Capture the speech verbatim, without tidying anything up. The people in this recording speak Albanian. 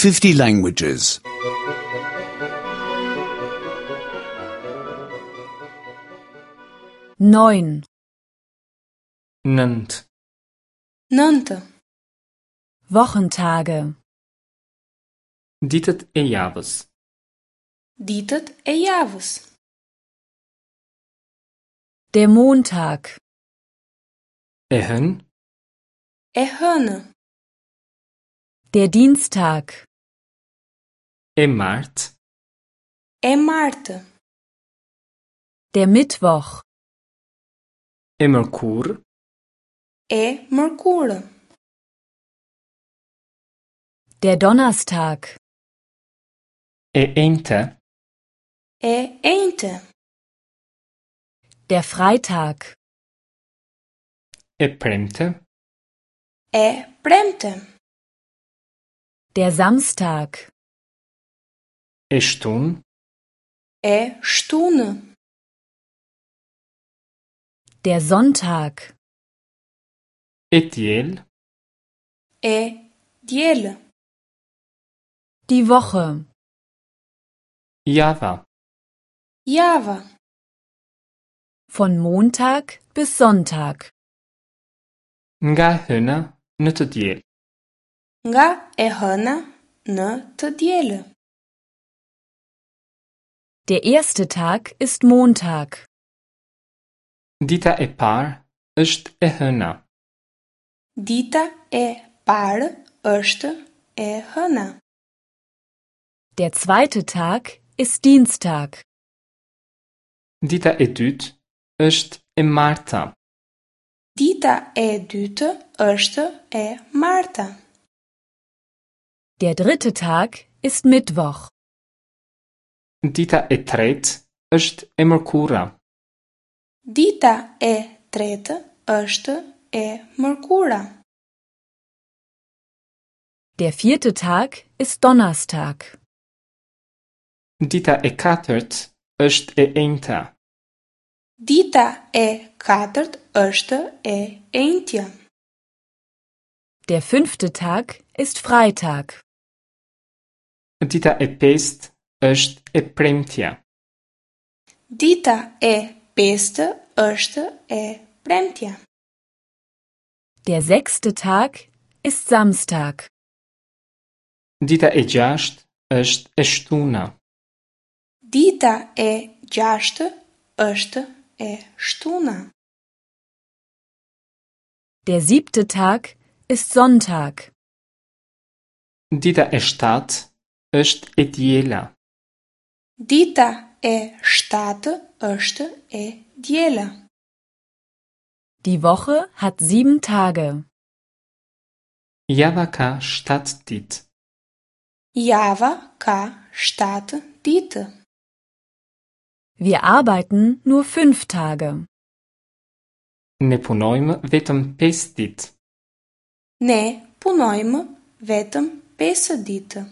fifty languages. Neun, Nëntë. Nëntë. Wochentage. Ditët e javës. Ditët e javës. Der Montag, E hënë, E hënë. der Dienstag, e martë, E martë. der Mittwoch, e mërkurë, E mërkurë. der Donnerstag, e enjte, E enjte. der Freitag, e premte, E premte. der Samstag, e shtunë, E shtunë. der Sonntag, e diel, E diel. die Woche. java. Java. Von Montag bis Sonntag. Nga e hëna në të diel. Nga e hëna në të dielë. Der erste Tag ist Montag. Dita e parë është e hëna. Dita e parë është e hëna. Der zweite Tag ist Dienstag. Dita e dytë është e marta. Dita e dytë është e marta. Der dritte Tag ist Mittwoch. Dita e tretë është e mërkura. Dita e tretë është e mërkura. Der vierte Tag ist Donnerstag. Dita e katërt është e enjta. Dita e katërt është e enjtja. Der fünfte Tag ist Freitag. Dita e pestë është e premtja. Dita e pestë është e premtja. Der sechste Tag ist Samstag. Dita e gjashtë është e shtuna. Dita e gjashtë është e shtuna. Der siebte Tag ist Sonntag. Dita e shtatë është e diela. Dita e shtatë është e diela. Die Woche hat sieben Tage. Java ka shtatë ditë. Java ka shtatë ditë. Wir arbeiten nur fünf Tage. Ne punojmë vetëm pesë ditë. Ne punojmë vetëm pesë ditë.